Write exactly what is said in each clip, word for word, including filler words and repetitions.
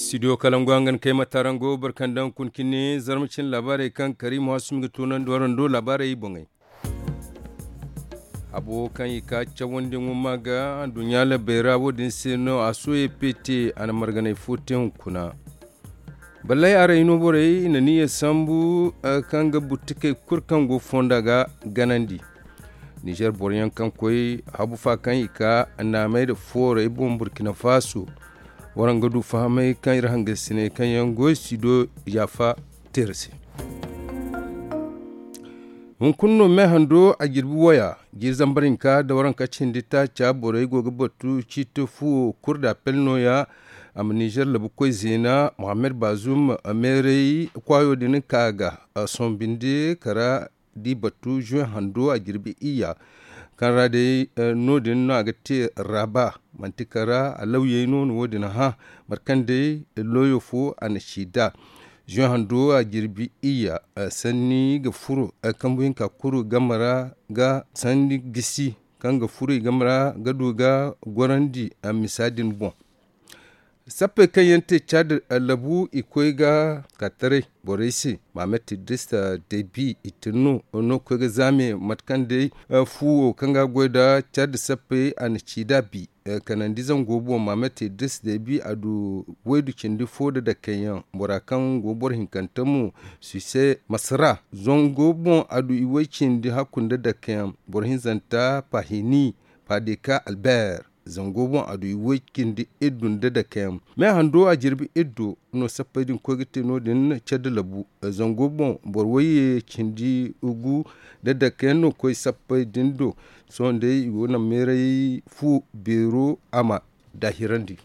Studio kalangu hangan kay ma taarango barkandaŋ kun cine zarma cine laabaarey kaŋ karimu hasumi ga toonandi warando laabaarey boŋey. Habo kaŋ i ka cawandiyaŋo ma ga anduɲɲa labey ra wo- din se no a soye pete a na marganay fo te hunkuna. Ballay aray no borey i na niya sambu kaŋ ga buttikey kulu kaŋ go fonda ga ganandi. Nizer boroyaŋ kaŋ koy habu fa kaŋ i ka naamey nda foorey boŋ burkina faso. Waraŋ ga du fahamay kaŋ iri hangasiney kaŋ yaŋ goy si do yaafa teera se. Hunkuna no me hando a jirbi waya jiiri zambar hinka nda waranka cindi taaca borey go ga batu ciiti fuwo kurda pel nooya. A ma nizer labu koy zeena mohammed bazum meeray kwaayo din ka ga sohõ binde kara di batu juwe hando a jirbi iyya. Kaŋ ra day no- din no a ga te raba manti kara a lawyey no no wo- din hã mate kaŋ day looyo fo a na si da. Juwe hando a jirbi iyya sanni ga furo kambu hinka kuru game ra ga sanni gisi kaŋ ga furo i game ra ga du ga gorandi misa din boŋ. Sappey kaŋ yaŋ te cad labu i koy ga ka taray borey se mamet idris debi i tin no no ga koy ga zaame mate kaŋ day fuwo kaŋ ga goy nda cad sappey a na ci da bi kanandi zango boŋ mamet idris debi a du waydu cindi fo nda dakeyaŋ bora kaŋ go boro hinkante mo sise masara zango boŋ a du i way cindi hakku nda dakeyaŋ boro hinzanta pahini padeka albert. Zango boŋ a du i way cindi iddu nda dakeyaŋ me hando a jirbi iddu no sappey din koy ga te no- din care da labu zango boŋ boro wayye cindi gu nda dakeyaŋ no koy sappey din do. Sohõ day i go naŋ meeray fu beero a ma daahirandi.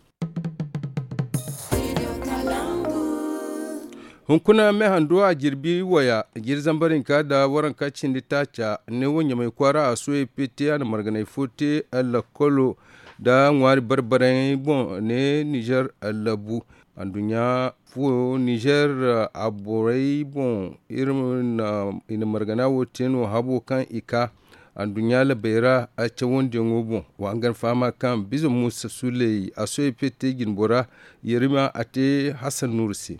Hunkuna me hando a jirbi waya jiiri zambar hinka nda waranka cindi taaca ne wo ɲamay kwaara a sohõ epete a na marganay fo te lakkolo nda ŋwaari barbarayey boŋ ne nizer labu. Anduɲɲa fo nizer a borey boŋ iri na i na margana wo te no habo kaŋ i ka anduɲɲa labey ra cawandiyaŋo boŋ. Wa hangan fahama kaŋ biza muusa suley a sohõ epete jinbora yerima a te hasan nuuru se.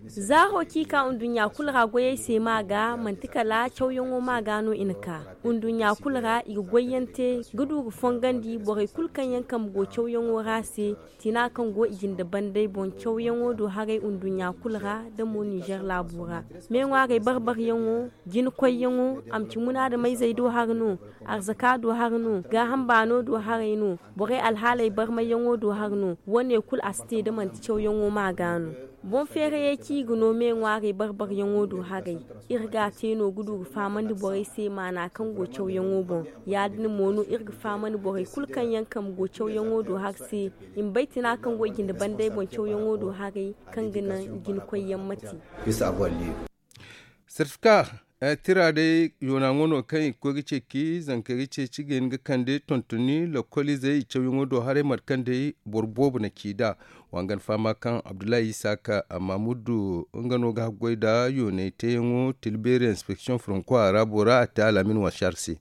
Zaaro kaŋ i ka nduɲɲa kulu ra goyey se ma ga manti kala cawyaŋo ma ga no i na ka nduɲɲa kulu ra i ga goyyaŋ te ga du ga fongandi borey kulu kaŋ yaŋ kambe go cawyaŋo ra se. Tina kaŋ go i jinde bandey boŋ cawyaŋo do haray nduɲɲa kulu ra da mo ninzeer laabo ra. Me ŋwaarey barbaryaŋo jina koyyaŋo a ma ci munaadameyzey do hari no, arzaka do hari no, gaaham baano do haray no, borey alhaaley barmayyaŋo do hari no. Wo- ne kulu a si te da manti cawyaŋo ma ga no. Boŋ feerayey kaŋ i ga no me ŋwaarey barbaryaŋo do haray. Iri ga a te no ga du ga fahamandi borey se maana kaŋ go cawyaŋo boŋ. Ya- din mo no iri ga fahamandi borey kulu kaŋ yaŋ kambe go cawyaŋo do hari se i ma bay tina kaŋ go i jinde bandey boŋ cawyaŋo do haray kaŋ ga naŋ jina koyyaŋ ma te. Sertifika tira day yoonaŋo no kaŋ i ga koy ga ceeci zankey ga ceeci ga hin ga kande tontoni lokoliizey i cawyaŋo do haray mate kaŋ day boro boobo na ci nd'a. Wangana fahama kaŋ abdullahi isaaka mamudu nga no ga haggoy nda yoonay teeyaŋo tilbeeri inspeksiyoŋ franko a ra bora a te alaamin wasaar se.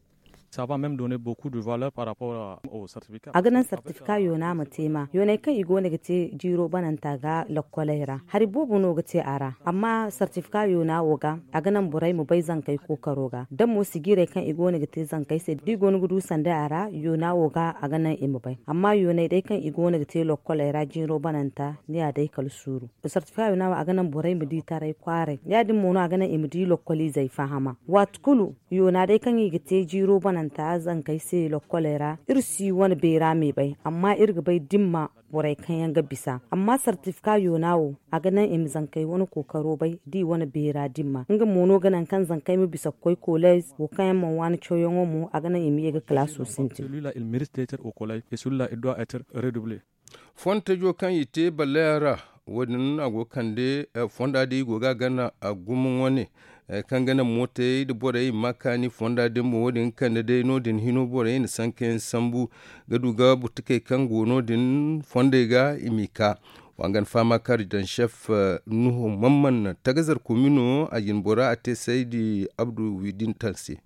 A ga naŋ sartifika yoona ma te ma yooney kaŋ i go no ga te jiiro bananta ga lokkoley ra hari boobo no ga te a ra. Amma sartifika yoona wo ga a ga naŋ borey ma bay zankey kookaro ga da mo sijiirey kaŋ i go no ga te zankey se da i go no ga du sanday a ra yoona wo ga a ga naŋ i ma bay. Amma yooney day kaŋ i go no ga te lokkoley ra jiiro bananta ni ya day kala suuru. Sartifika yoona wo a ga naŋ borey ma di taray kwaaray ya- din mo no a ga naŋ i ma di lokkoliizey fahama waati kulu. Yoona day kaŋ i ga te jiiro bananta zankey se lokkoley ra iri si wane beera me bay amma iri ga bay dimma borey kaŋ yaŋ ga bisa amma sartifika yoona wo a ga naŋ i ma zankey wane kookaro bay da i wane beera dimma nga mo no ga naŋ kaŋ zankey ma bisa ga koy koleez wo kaŋ yaŋ mana waani cawyaŋo mo a ga naŋ i ma ye ga kalaaso sintin. Fontejo kaŋ i te balleyaŋ ra wo- din a go ga kande fonda din i go ga a gana gumo wane kaŋ ga naŋ mootey nda borey i ma kaani fonda din boŋ wo- din ga kande day no- din hino borey i na sankayaŋ sambu ga du ga butukey kaŋ go no- din fondey ga i m'i ka. Wangana fahama kaŋ ridan sef nuhu mamman tagazar komino a jinbora a te saydi abdu widintan se.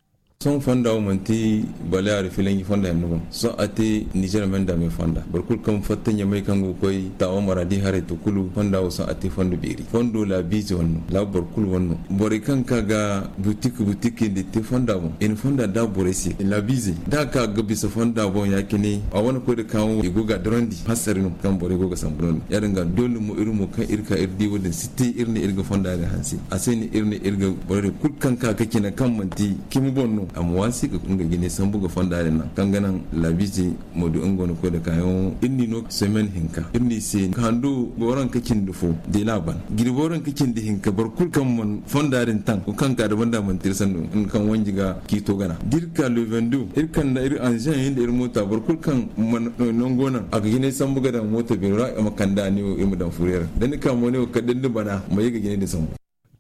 Sohõ fonda wo manti baleyaari filanji fonda yaŋ no boŋ. Sohõ a te nizer menda me fonda boro kulu kaŋ fatta ɲamay kaŋ go ga koy taawa maraadi haray to kulu fonda wo sohõ a te fondo beeri fondo laabiize wane no laabu boro kulu wane no. Borey kaŋ ka ga butik butik nda i te fonda boŋ i na fonda da borey se laabiize da a ka ga bisa fonda boŋ ya- cine a wane koy nda kaayaŋo i go ga a dorandi hansari no kaŋ borey go ga sambu no- din ya- din ga doole mo iri mo kaŋ iri ka iri di wo- din si te iri ne iri ga fonda din hanse a se no iri ne iri ga borey din kulu kaŋ ka ga cine kaŋ manti cimi boŋ no a ma waasi ga nga jine sambu ga fonda din naŋ kaŋ ga naŋ laabiize ma du nga wane koy nda kaayaŋo iri n'i no semen hinka iri n'i se hando booranka cindi fo deela ban jirbi booranka cindi hinka boro kulu kaŋ mana fonda din taŋ kaŋ ka da banda manti iri sandu nga kaŋ wanji ga ciito gana da iri ka le vingt-deux iri kanda iri anziyaŋ yaŋ nda iri moota boro kulu kaŋ mana nango naŋ a ga jinay sambu ga daŋ moota beero ra a ma kand'a ne wo iri ma daŋ furiyar da ni ka mo ne wo kala da ni bana ma ye ga jinay din sambu.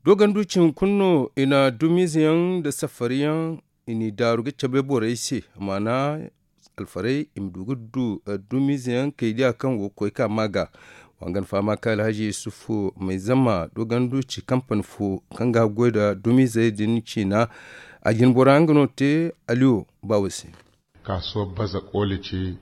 Dogandu cin kulu no i na dumiize yaŋ nda safari yaŋ i n'i daaru ga cabe borey se maana alfarey i ma du ga du dumiize yaŋ kaydiya kaŋ go ga koy ka maa ga. Wangan fahama kaŋ alhaji yusufu may zama dogandu ci kampani fo kaŋ ga goy nda dumiizey din ciina a jinbora nga no te aliyo baawo se. Kaasuwa baza kooli ci.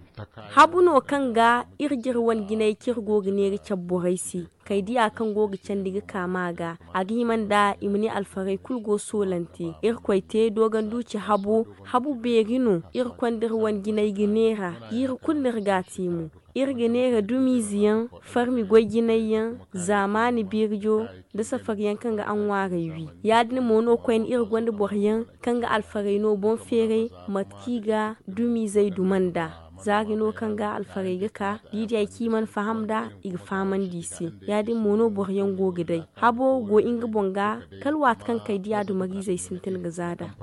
Habu no kaŋ ga iri jire wane jinay kaŋ iri go ga neera cabe borey se kaydiya kaŋ go ga candi ga ka maa ga a ga hima nda i ma ne alfarey kulu go soolante irkoy te dogandu ci habo. Habu beeri no iri konda iri wane jinay ga neera jiiri kulu no iri ga a te mo. Iri ga neera dumiize yaŋ farmi goy jinay yaŋ zaamaani beerijo nda safari yaŋ kaŋ ga a ŋwaaray wi. Ya- din mo no koyne iri gonda boro yaŋ kaŋ ga alfarey no boŋ feeray mate kaŋ i ga dumiizey duma nd'a. Zaari no kaŋ ga alfarey ga ka da i di hari kaŋ i mana faham nd'a i ga fahamandi i se. Ya- din mo no boro yaŋ go ga day habo go nga boŋ ga kala waati kaŋ kaydiya dumariizey sintin ga za nd'a.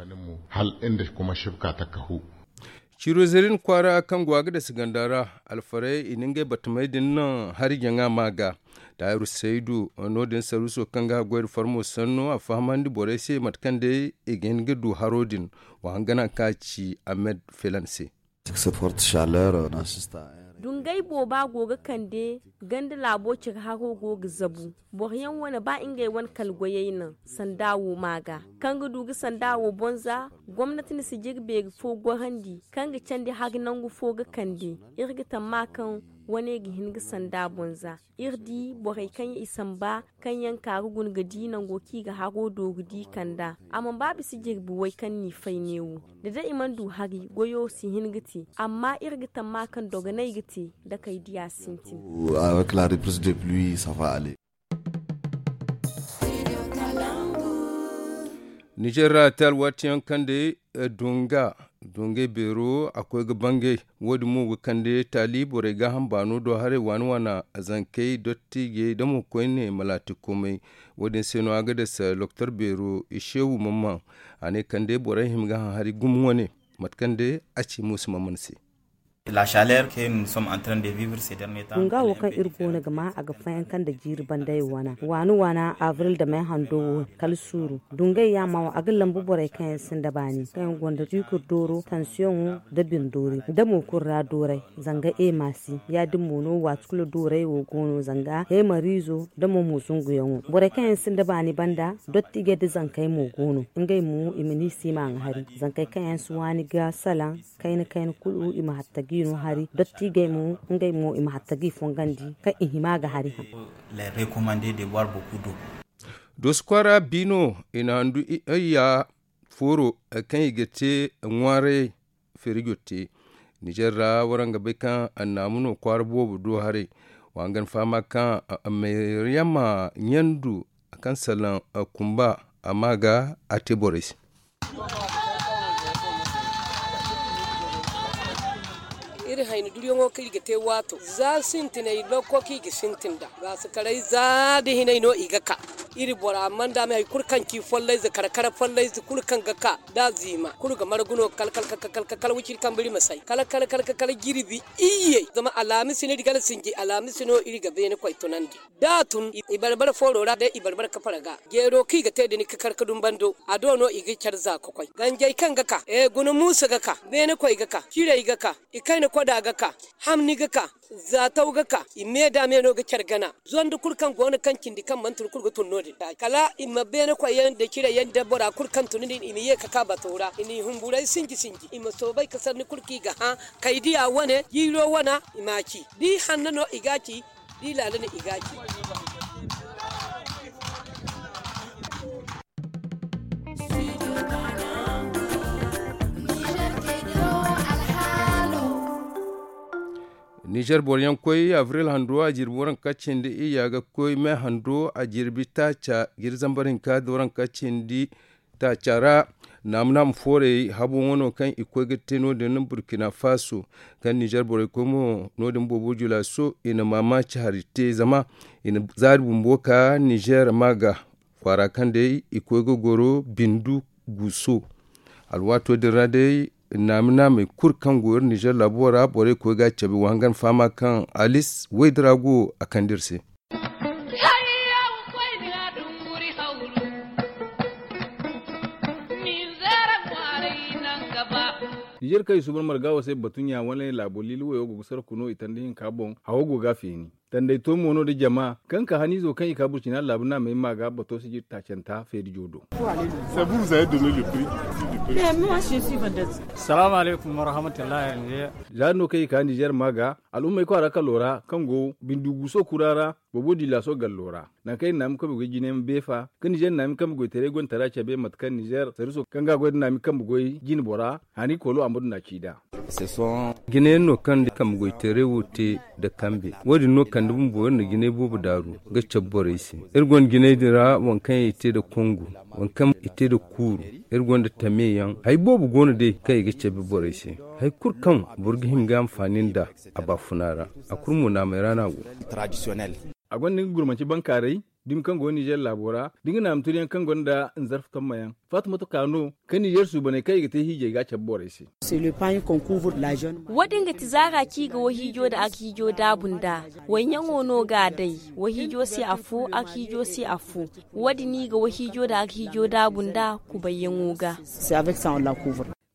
Hala nda kuma shibka taka hu. Ciiro zerin kwaara kaŋ go a ga dasa ganda ra alfarey i na ngey batamey din naŋ hari jaŋa maa ga. Taahiru saydu no- din saruuso kaŋ ga goy nda farmo sanno a fahamandi borey se mate kaŋ day i ga hin ga du haro din. Wa hangan a ka ci ahmed felan se. Dungay booba go ga kande ganda laabo care haro go ga zabu. Boro yaŋ wane ba ngey wane kala goyey naŋ sanda wo maa ga kaŋ ga du ga sanda wo boŋ za. Gomnati na si jire beeri fo gorandi kaŋ ga candi hari nangu fo ga kande. Iri ga tamma kaŋ wane ga hin ga sanda boŋ za. Iri di borey kaŋ yaŋ i samba kaŋ yaŋ ka ga guna ga di nango kaŋ i ga haro dooru di kand'a. A mana ba bisa jirbi way kaŋ n'i fay neewo da day i mana du hari goyo si hin ga te. Amma iri ga tamma kaŋ dogonay ga te da kay diya sintin. Avec la reprise de pluie ça va aller. Nizer ra te alwaati yaŋ kaŋ day dunga dungay beero a koy ga bangay. Wo- din mo ga kande taali borey gaaham baano do haray waani waana zankey dottijey da mo koyne malaatikomey. Wo- din se no a ga dasa doktor beero ishewu mamman a ne kande borey hima ga haŋ hari gumo wane mate kaŋ day a ci muusa mamman se. Dunga wo kaŋ iri goono ga maa a ga fayanka nda jiiri banday wana waani waana abril da may hando wo kala suuru. Dungay yaama wo a ga lambu borey kaŋ yaŋ sinda baani kaŋ yaŋ gonda tiikir dooro tansiyoŋo nda bindoori nda mo kulu ra dooray. Zanga emasi ya- din mo no waati kulu dooray wo goono zanga heemariizo nda mo mo zunguyaŋo borey kaŋ yaŋ sinda baani banda dottijey nda zankey mo goono. Ngey mo i ma ni siima ŋwa hari zankey kaŋ yaŋ si waani ga salaŋ kayna kayna kulu i ma hatta g'i no hari dottijey mo ngey mo i ma hatta g'i fongandi kaŋ i hima ga hari haŋ. Doosi kwaara biino i na handu iyya fooro kaŋ i ga te ŋwaarayey feerijo te. Nizer ra waraŋ ga bay kaŋ annaamu no kwaara boobo do haray. Wa hangan fahama kaŋ mayriyama ɲandu kaŋ salaŋ kumba a ma ga a te borey se. Iri hayni duriyaŋo kaŋ iri ga te waato za sintinay lokko kaŋ i ga sintin nd'a gaasakaray za da hinay no i ga ka. Iri bora manda me hari kulu kaŋ ci follayze kar kar follayze kulu kaŋ ga ka da ziima kulu ga margu no kal kal kal kal kal wiciri kambe iri ma say kal kal kal kal jirbi iyye zama alaamisi no iri ga alsinji alaamisi no iri ga beene koy tunandi. Da a tun i barbara fooro ra day i barbara kafara ga jeero kaŋ i ga te da ni kakar ka dumbando a do no i ga care za ka koy ganjey kaŋ ga ka guna muusa ga ka beene koy ga ka cirey ga ka i kayna koda ga ka hamni ga ka. Za taw ga ka i me da me no ga care gana. Zonda kulu kaŋ go no kaŋ cindi kaŋ mana tun kulu ga tun no- din. Kala i ma beene koy yaŋ da cire yaŋ da bora kulu kaŋ tun din i ma ye ka ka bato ra i n'i humburay sinji sinji i ma soobay ka sanni kulu kaŋ i ga hã. Kay diya wane jiiro wana i ma a ci. Da i hanna no i ga a ci. Da i laala no i ga a ci. Nizer boro yaŋ koy abril hando a jirbi waranka cindi iyya ga koy me hando a jirbi taaca jiri zambar hinka da waranka cindi taaca ra. Naamu naamu foorey habo wano kaŋ i koy ga te no- din burkina faso kaŋ nizer borey koy mo no- din boobo julaaso i na maamaaci hari te zama i na zaari bumbo ka nizer ma ga kwaara kaŋ day i koy ga goro bindu guuso. Alwaato din ra day naami naamey kulu kaŋ go iri nizer laabo ra borey koy ga a cabe wa hangan fahama kaŋ alis waydira go a kande iri se. Nizer kaŋ i suuban marga wo se batunya wane laabo liili wayo go ga sarku no i tanda hinka boŋ hawo go ga a feeni. Tanday to mo no da jama kaŋ ka haniizo kaŋ i ka burcina laabu naamey ma ga bato sijir taacanta feerijo do. Salaamu alaykum warahmatullahi. Za no kaŋ i ka nizer ma ga al'ummey kwaara kalo ra kaŋ go bindu guuso kura ra. Boobo di laaso gallo ra nangu kaŋ iri naami kambe goy jine ma beefa ka nizer naami kambe goy taray gontara cabe mate kaŋ nizer sariso kaŋ ga goy da naami kambe goy jine bora hani koolo a ma du na ci nd'a. Jine yaŋ no kaŋ da kambe goy teeray wo te nda kambe wo- din no kande bumbo iri na jinay boobo daaru ga cabe borey se. Iri gonda jinay din ra waŋ kaŋ i te nda kongu, waŋ kaŋ i te nda kuuru. Iri gonda tame yaŋ hari boobo go no day kaŋ i ga cabe borey se. Hari kulu kaŋ boro ga hima ga anfaani nd'a a baafuna ra. A kulu mo naamey ra no a go. A gonda nga gurmanci bankaaray dumi kaŋ go nizer laabo ra da nga naami turiyaŋ kaŋ gonda nzarfa tomma yaŋ. Fatumatu ka no kaŋ nizer suubaney kaŋ i ga te hiijay ga a cabe borey se. Wo- din ga ti zaara kaŋ i ga wahiijo nda arhiijo daabu nd'a. Wayyaŋo no ga a day. Wahiijo se afo arhiijo se afo. Wo- din i ga wahiijo nda arhiijo daabu nd'a kubayyaŋo ga.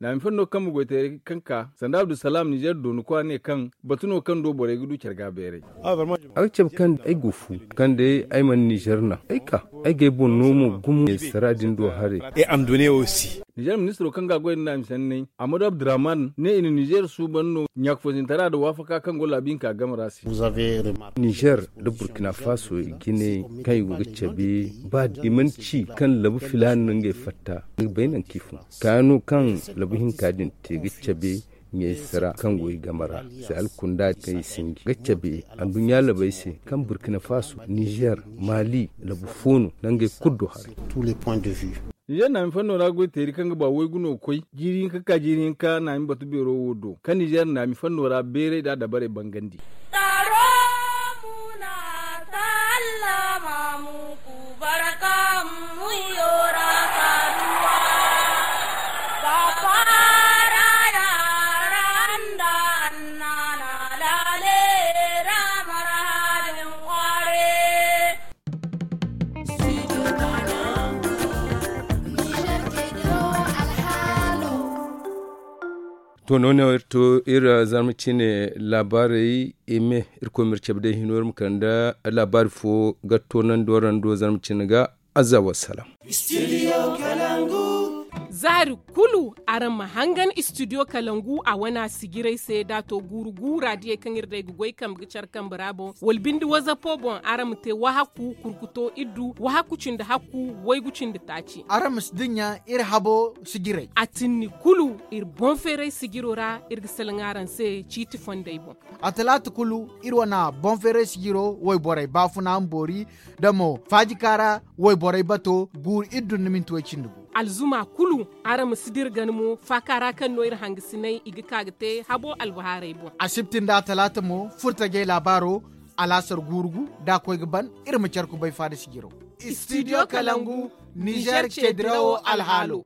Naami fanno kaŋ ma goy teeray kaŋ ka sanda abdulsalaam nizer doonu kwa ne kaŋ batu no kaŋ do borey ga du care ga beeray. A ga cabe kaŋ ay go fu kaŋ day ay mana nizer naŋ ay ka ay ga ay boŋ no mo gumo sara din do haray. Nizer ministiro kaŋ ga goy nda naami sanney amadu abdurrahman ne i na nizer suuban no ɲaakufosintara nda waafaka kaŋ go laabi hinka game ra se. Nizer nda burkina faso i jine kaŋ i go ga cabe ba i mana ci kaŋ labu filaana no ngey fatta ni ga bay nangu kaŋ i fun kaano kaŋ labu hinka din te ga cabe ɲayse ra kaŋ go i game ra se alkunda kaŋ i sinji ga cabe anduɲɲa labey se kaŋ burkina faso nizer mali labu fo no nangey kulu do haray. Nizer naami fanno ra goy teeri kaŋ ga ba waygu no ga koy jiiri hinka ka jiiri hinka naami batu beero wo do kaŋ nizer naami fanno ra beeray nda dabarey bangandi. To noone wo iri to iri zarma cine laabaarey eme irkoy ma iri cabe day hino iri ma kande laabaari fo ga toonandi waraŋ do zarma cine ga. Azza wassalam. Zaari kulu araŋ ma hangan studio kalangu a wana sijirey se da a to guuru guura diyey kaŋ iri day ga goy kambe ga care kambe ra boŋ wala binde wazapo boŋ araŋ ma te wahakku kurkuto iddu wahakku cindi hakku waygu cindi taaci. Araŋ ma si dinya iri habo sijirey. A tinni kulu iri boŋ feeray sijiro ra iri ga salaŋ araŋ se ciiti fondey boŋ. A talaata kulu iri wana boŋ feeray sijiro wayborey baafuna ma boori da mo faajika ra wayborey bato guuru iri dun ni minti way cindi gu. Alzuma kulu araŋ ma si dira gana mo faaka ra kaŋ no iri hangasinay i ga ka ga te habo albahaarey boŋ. Asibti nda talaata mo furtajey laabaaro alaasar guuru gu da a koy ga ban iri ma care kubay faada sijiro. Studio kalangu nizer ce dirawo alhaalo.